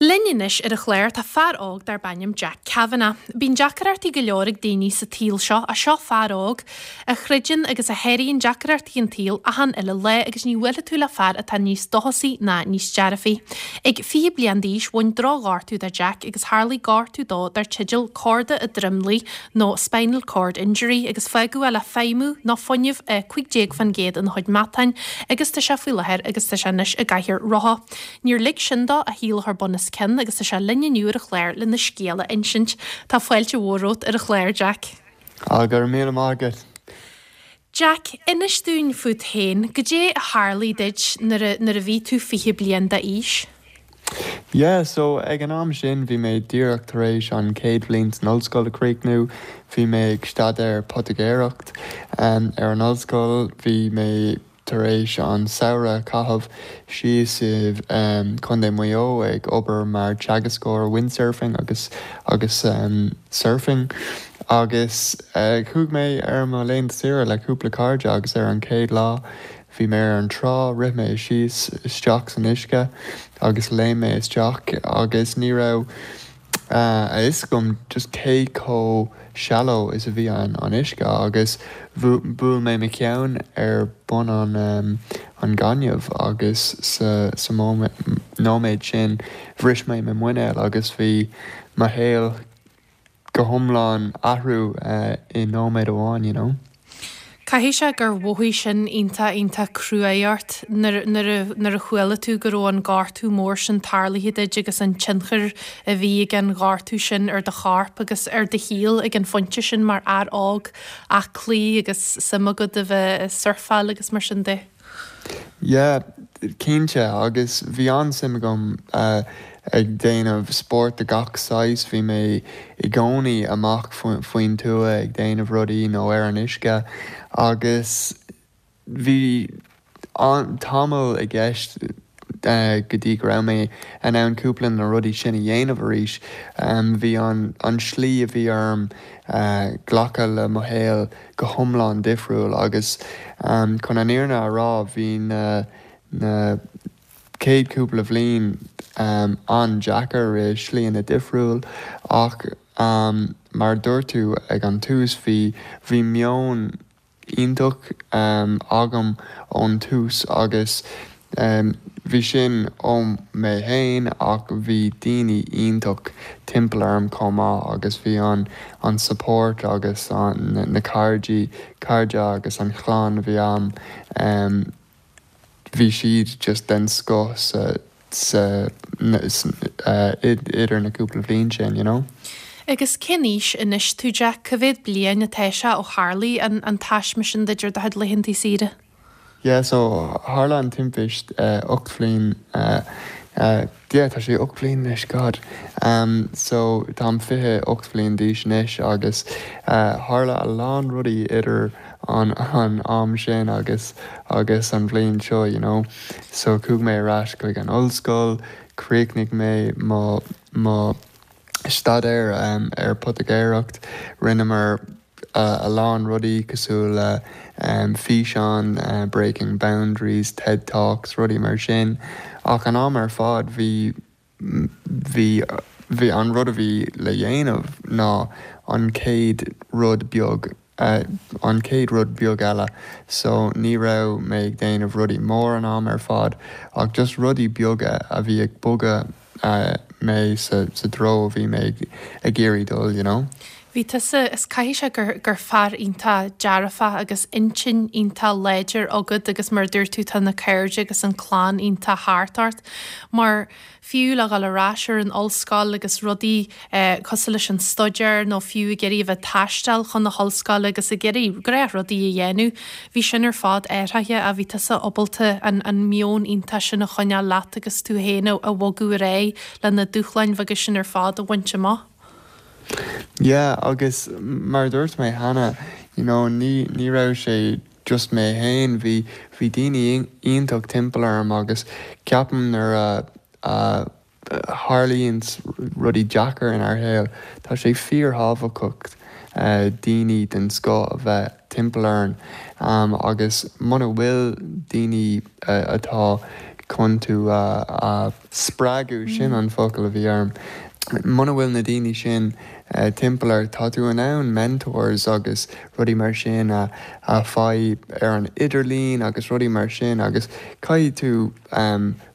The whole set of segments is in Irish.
Linn anois ar an chlár tá fear óg darb ainm Jack Kavanagh. Bíonn deacrachtaí go leor ag daoine sa tsaol seo ach seo fear óg a chreideann agus a sháraíonn deacrachtaí an tsaoil achan uile lá agus ní bhuailfidh tú le fear atá níos dóchasaí ná níos dearfaí. Ag 20 bliain d'aois bhain drochghortú do Jack agus tharlaigh gortú dó dar teideal corda an dromlaigh nó spinal cord injury agus fágadh é le feidhmiú nó fuinneamh 15% ina chuid matáin agus tá sé faoi láthair agus tá sé anois i gcathaoir rotha. Níor lig sin dó a shaol a chur bun os cionn agus tá sé linn inniu ar an chlár lena scéal a insint. Tá fáilte mhór romhat ar an chlár, Jack. Á, go raibh míle maith agat. Jack, inis dúinn fút féin, goidé a tharlaigh duit nuair a, nuair a bhí tú 20 bliain d'aois? Yeah, so ag an am sin bhí mé díreach tar éis an chéad bhliain san ollscoil a chríochnú, bhí mé ag staidéar poitigéireacht ar an ollscoil, bhí mé tar éis an samhradh a chaitheamh síos i Contae Mhaigh Eo ag obair mar teagascóir windsurfing agus agus surfing agus chuaigh mé ar mo laethanta saoire le cúpla cairde agus ar an chéad lá bhí mé ar an trá rith mé síos isteach san uisce agus léim mé isteach agus ní raibh a fhios agam just cé chomh shallow is a bhí an uisce agus bhuail mé mo cheann ar bun an an gaineamh agus sa sa nóiméad sin bhris mé mo mhuinéal agus bhí mo shaol go hiomlán athrú i nóiméad amháin you know. Caithfidh sé gur mhothaigh sin iontach, iontach cruaidh ort nuair, nuair a, nuair a chuala tú go raibh an gortú mór sin tarlaithe duit agus an tionchar a bhí ag an ghortú sin ar do chorp agus ar do shaol ag an phointe sin mar fhear óg aclaí agus suim agat a bheith ag surfáil agus mar sin de. Yeah, cinnte, agus bhí an-suim agam ag déanamh spórt de gach saghas, bhí mé i gcónaí amach faoin tuath ag déanamh rudaí nó ar an uisce agus bhí tamall i gceist go dtí go raibh mé in ann cúpla de na rudaí sin a dhéanamh arís. Bhí an slí a bhí orm glacadh le mo shaol go hiomlán difriúil agus chun an fhírinne a rá bhí na na chéad cúpla bhliain an-deacair i slíanna difriúil ach mar a dúirt tú ag an tús bhí bhí meon iontach agam ón tús agus bhí sin ó mé fhéin ach bhí daoine iontach timpeall orm chomh maith agus bhí an an support agus an na cairde cairde agus an chlann a bhí a'm bhí siad just den scoth sa sa idir na cúpla bhliain sin, you know. Agus cén aois anois tú Jack? Cá mhéad bliain atá sé ó tharlaigh an an taisme sin duit ar do chuid laethanta saoire? Yeah so tharla an timpist 8 bhliain yeah tá sé 8 bhliain anois God so táim 28 bhliain d'aois anois agus tharla a lán rudaí idir an an am sin agus agus an bhliain seo you know so chuaigh mé ar ais chuig an ollscoil chríochnaigh mé mo mo staidéar ar poitigéireacht rinneamar a lán rudaí cosúil le físeáin, Breaking Boundaries, TED Talks, rudaí mar sin. Ach an am ar fad bhí, bhí, bhí an rud a bhí le dhéanamh ná an chéad rud beag, an chéad rud beag eile. So ní raibh mé ag déanamh rudaí mór an am ar fad ach just rudaí beaga a bhí ag bogadh mé sa treo a bhí mé ag iarraidh dul, you know. Bhí tusa, is caithfidh sé gur, gur fear iontach dearfach agus intinn iontach láidir agat agus mar a dúirt tú tá na cairde agus an clann iontach thart ort mar fiú le dhul ar ais ar an ollscoil agus rudaí cosúil leis an staidéar nó fiú ag iarraidh a bheith ag taisteal chun na hollscoile agus ag iarraidh gnáthrudaí a dhéanamh, bhí sin ar fad athraithe ach bhí tusa ábalta an an meon iontach sin a choinneáil leat agus tú féin a bhogadh ar aghaidh le na dúshláin bheaga sin ar fad a bhaint amach. Yeah agus mar a dúirt mé cheana, you know, ní ní raibh sé just mé féin, bhí bhí daoine iontach timpeall orm agus ceapaim nuair a a tharlaíonn rudaí deacair inár shaol, tá sé fíorthábhachtach daoine den scoth a bheith timpeall orainn agus muna bhfuil daoine atá. chun tú a spreagadh, sin an focal a bhí orm. Muna bhfuil na daoine sin timpeall ort, tá tú in ann mentors agus rudaí mar sin a fháil ar an idirlíon agus rudaí mar sin agus caithfidh tú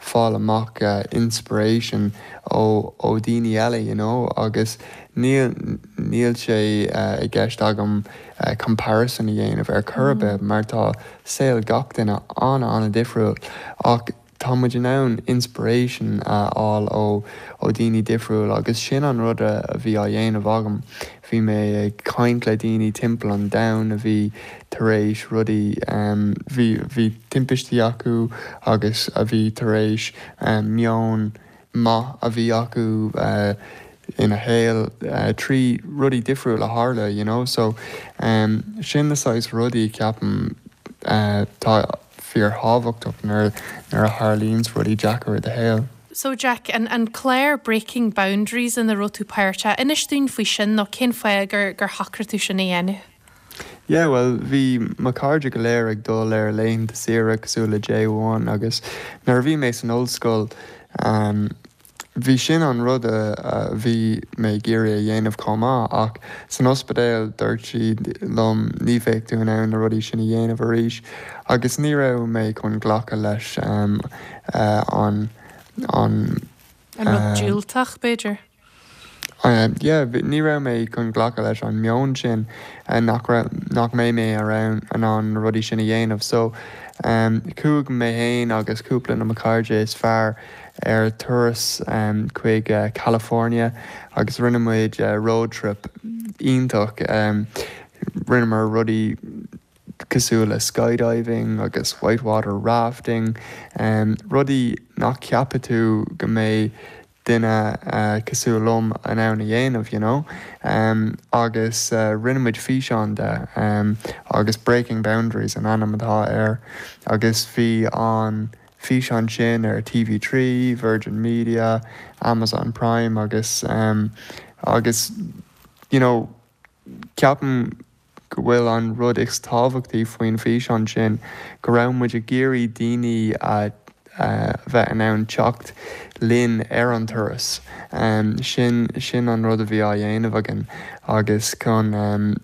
fáil amach inspiration ó ó daoine eile you know agus níl níl sé i gceist agam comparison a dhéanamh ar chor ar bith mar tá saol gach duine an-an-difriúil ach tá muid in ann inspiration a fháil ó ó daoine difriúil agus sin an rud a bhí á dhéanamh agam. Bhí mé ag caint le daoine timpeall an domhain a bhí tar éis rudaí, bhí bhí timpistí acu agus a bhí tar éis meon maith a bhí acu ina shaol trí rudaí difriúil a tharla you know so sin na saghas rudaí ceapaim tá fíorthábhachtach nuair nuair a tharlaíonns rudaí deacair i do shaol. So Jack, an an clár Breaking Boundaries ina raibh tú páirteach, inis dúinn faoi sin nó cén fáth gur gur shocraigh tú sin a dhéanamh? Yeah bhuel bhí mo chairde go léir ag dul ar laethanta saoire cosúil le J1 agus nuair a bhí mé san ollscoil bhí sin an rud a bhí mé ag iarraidh a dhéanamh chomh maith ach san ospidéal dúirt siad liom ní bheidh tú in ann na rudaí sin a dhéanamh arís agus ní raibh mé chun glacadh leis an an An rud diúltach b'fhéidir? Yeah, ní raibh mé chun glacadh leis an meon sin nach raibh, nach mbeidh mé in ann na rudaí sin a dhéanamh. So, chuaigh mé fhéin agus cúpla de mo chairde is fearr ar turas chuig California agus rinne muid road trip iontach. Rinneamar rudaí cosúil le skydiving agus white water rafting, rudaí nach ceapfaidh tú go mbeidh duine cosúil liom in ann a dhéanamh, you know. Agus rinne muid físeán de agus Breaking Boundaries an ainm atá air agus bhí an físeán sin ar TV3, Virgin Media, Amazon Prime agus agus you know ceapaim go bhfuil an rud is tábhachtaí faoin bhfíseán sin go raibh muid ag iarraidh daoine a bheith in ann teacht linn ar an turas. Sin sin an rud a bhí á dhéanamh againn agus chun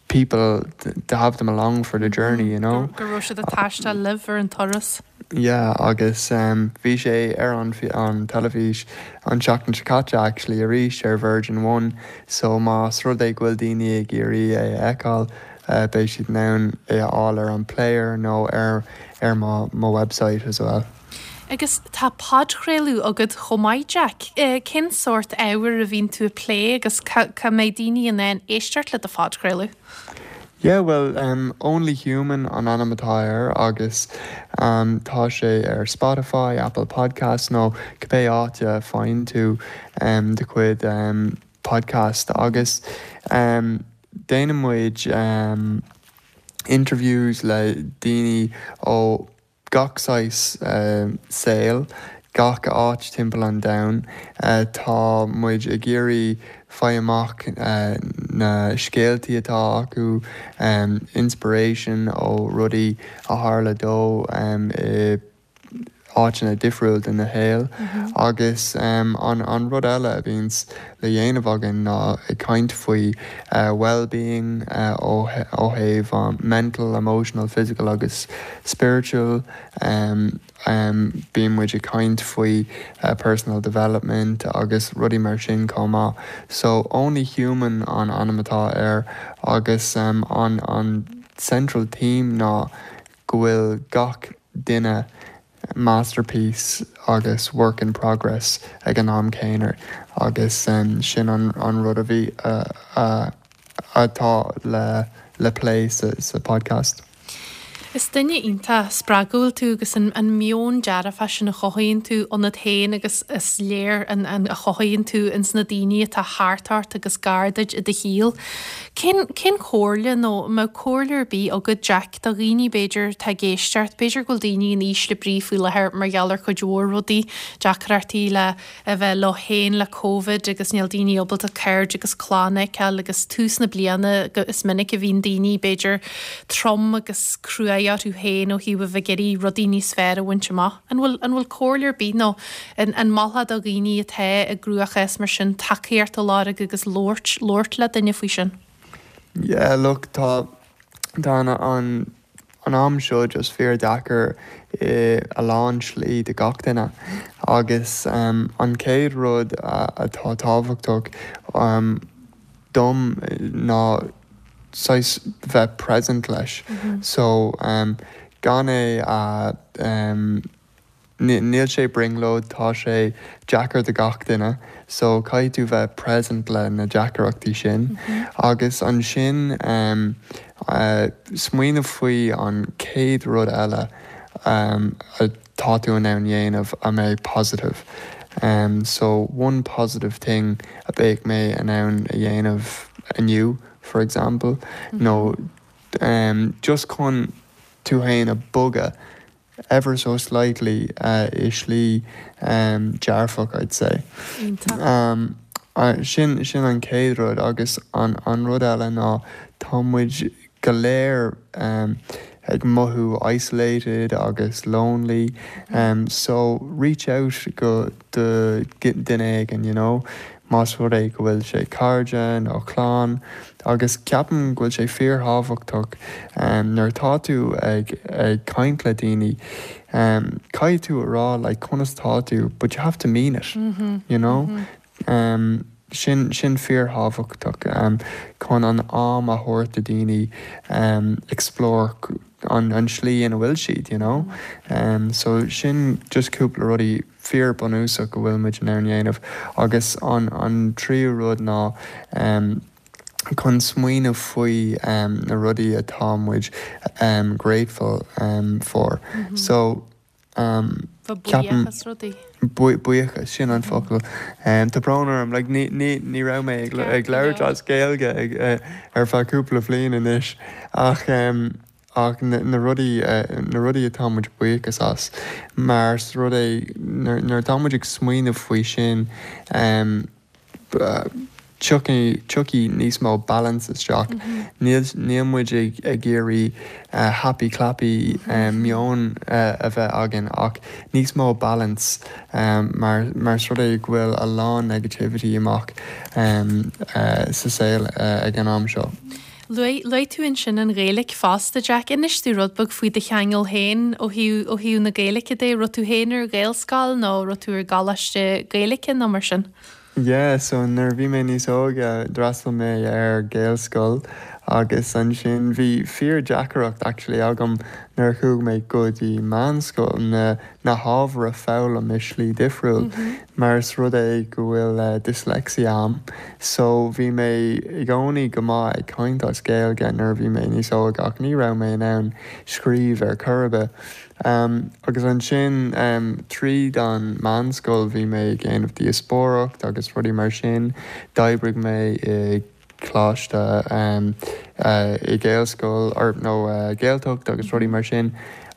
people to have them along for the journey, you know. Go raibh siad ag taisteal libh ar an turas. Yeah agus bhí sé ar an an teilifís an tseachtain seo caite actually arís ar Virgin One so más rud é go bhfuil daoine ag iarraidh é a fheiceáil beidh siad in ann é a fháil ar an player nó ar ar mo mo website as well. Agus tá podchraoladh agat chomh maith Jack. Cén sórt ábhair a bhíonn tú ag plé agus cá cá mbeidh daoine in ann éisteacht le do phodchraoladh? Yeah bhuel em Only Human an ainm atá air agus em tá sé ar Spotify, Apple Podcasts nó cibé áit a faigheann tú em do chuid em podcast agus em déanann muid em interviews le daoine ó gach saghas saoil, gach áit timpeall an domhain. Tá muid ag iarraidh faigh amach na scéaltaí atá acu, inspiration ó rudaí a tharla dó i áiteanna difriúil de na shaol. Agus an rud eile a bhíonns le dhéanamh againn ná ag caint faoi well-being ó thaobh mental, emotional, physical agus spiritual. Bíonn muid ag caint faoi personal development agus rudaí mar sin chomh maith. So Only Human an ainm atá air agus an an central theme ná go bhfuil gach duine masterpiece agus work in progress ag an am céanna agus sin an rud a bhí atá le le plé sa podcast. Is duine iontach spreagúil tú agus an meon dearfach sin a chothaíonn tú ionat féin agus is léir an a chothaíonn tú ins na daoine atá thart ort agus gar duit i do shaol. Cén cén chomhairle nó an mbeadh comhairle ar bith agat Jack do dhaoine b'fhéidir atá ag éisteacht, b'fhéidir go bhfuil daoine in ísle brí faoi láthair mar gheall ar chuid mhór rudaí, deacrachtaí le a bheith leo féin le Covid agus níl daoine ábalta cairde agus clann a fheiceáil agus tús na bliana is minic a bhíonn daoine b'fhéidir trom agus cruaidh. aghaidh orthu féin ó thaobh a bheith ag iarraidh rudaí níos fearr a bhaint amach. An bhfuil, an bhfuil comhairle ar bith nó an, an molfá do dhaoine atá i gcruachás mar sin tacaíocht a lorg agus labhairt, labhairt le duine faoi sin? Yeah, look, tá, tá an, an, an am seo just fíor deacair i a lán slí do gach duine agus an chéad rud atá tábhachtach dom ná saghas bheith present leis so gan é a Níl sé brionglóid, tá sé deacair do gach duine so caithfidh tú bheith present le na deacaireachtaí sin agus ansin smaoineamh faoi an chéad rud eile atá tú in ann dhéanamh a mbeidh positive. So one positive thing a bheadh mé in ann a dhéanamh inniu for example nó just chun tú fhéin a bogadh ever so slightly i slí dearfach I'd say. Iontach. Sin sin an chéad rud agus an an rud eile ná tá muid go léir ag mothú isolated agus lonely so reach out go do duine éigin you know más rud é go bhfuil sé cairde nó clann agus ceapaim go bhfuil sé fíorthábhachtach nuair atá tú ag ag caint le daoine caithfidh tú a rá like conas tá tú but you have to mean it you know sin sin fíorthábhachtach chun an am a thabhairt do daoine explore an an slí ina bhfuil siad you know so sin just cúpla rudaí fíor bunúsach go bhfuil muid in ann dhéanamh agus an an tríú rud ná chun smaoineamh faoi na rudaí atá muid grateful for so ceapaim buíochas rudaí. Buíochas, sin an focal. Tá brón orm, like ní ní ní raibh mé ag ag labhairt as Gaeilge ag ar feadh cúpla bliain anois ach ach na na rudaí na rudaí atá muid buíochas as mar is rud é nuair nuair atá muid ag smaoineamh faoi sin tiocfaidh tiocfaidh níos mó balance isteach. Níl níl muid ag ag iarraidh happy clappy meon a bheith againn ach níos mó balance mar mar is rud é go bhfuil a lán negativity amach sa saol ag an am seo. Luaigh, luaigh tú ansin an Ghaeilic fosta, Jack. Inis domh rud beag faoi do cheangal féin ó thaobh, ó thaobh na Gaeilice de. Raibh tú féin ar Ghaelscoil nó raibh tú ar gcoláiste Gaeilice nó mar sin? Yeah, so nuair a bhí mé níos óige d'fhreastail mé ar Ghaelscoil agus ansin bhí fíor deacaireacht actually agam nuair a chuaigh mé go dtí meánscoil na na hábhair a foghlaim i slí difriúil mar is rud é go bhfuil dyslexia a'm so bhí mé i gcónaí go maith ag caint as Gaeilge nuair a bhí mé níos óige ach ní raibh mé in ann scríobh ar chor ar bith. Agus ansin tríd an meánscoil bhí mé ag déanamh díospóireacht agus rudaí mar sin. D'oibrigh mé i gcoláiste i Gaelscoil or nó Gaeltacht agus rudaí mar sin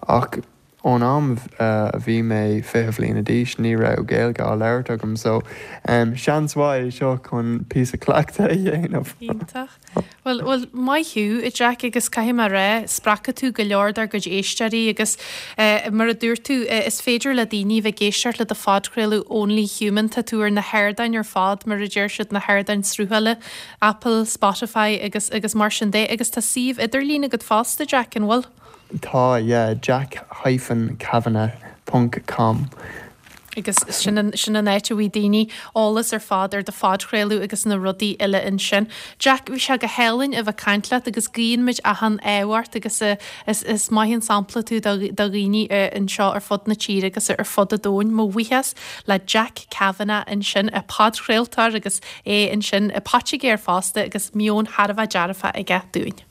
ach ón am a bhí mé 20 bhliana d'aois ní raibh Gaeilge á labhairt agam so seans mhaith é seo chun píosa cleachtaidh a dhéanamh. Iontach. Bhuel, bhuel, maith thú, a Jack, agus caithfidh mé a rá, spreagfaidh tú go leor dár gcuid éisteoirí agus mar a dúirt tú, is féidir le daoine a bheith ag éisteacht le do phodchraoladh Only Human, tá tú ar na hardáin ar fad, mar a deir siad, na hardáin sruthála, Apple, Spotify agus, agus mar sin de, agus tá suíomh idirlín agat fosta, Jack, an bhfuil? Tá, yeah, jack hyphen kavanagh ponc com. Agus sin an, sin an áit a bhfaighidh daoine eolas ar fad ar do phodchraoladh agus na rudaí eile ansin. Jack, bhí sé go hálainn a bheith ag caint leat agus guíonn muid achan ádh ort agus is, is maith an sampla tú do, do dhaoine anseo ar fud na tíre agus ar fud an domhain. Mo bhuíochas le Jack Kavanagh ansin, podchraoltóir agus é ansin poitigéir fosta agus meon thar a bheith dearfach aige dúinn.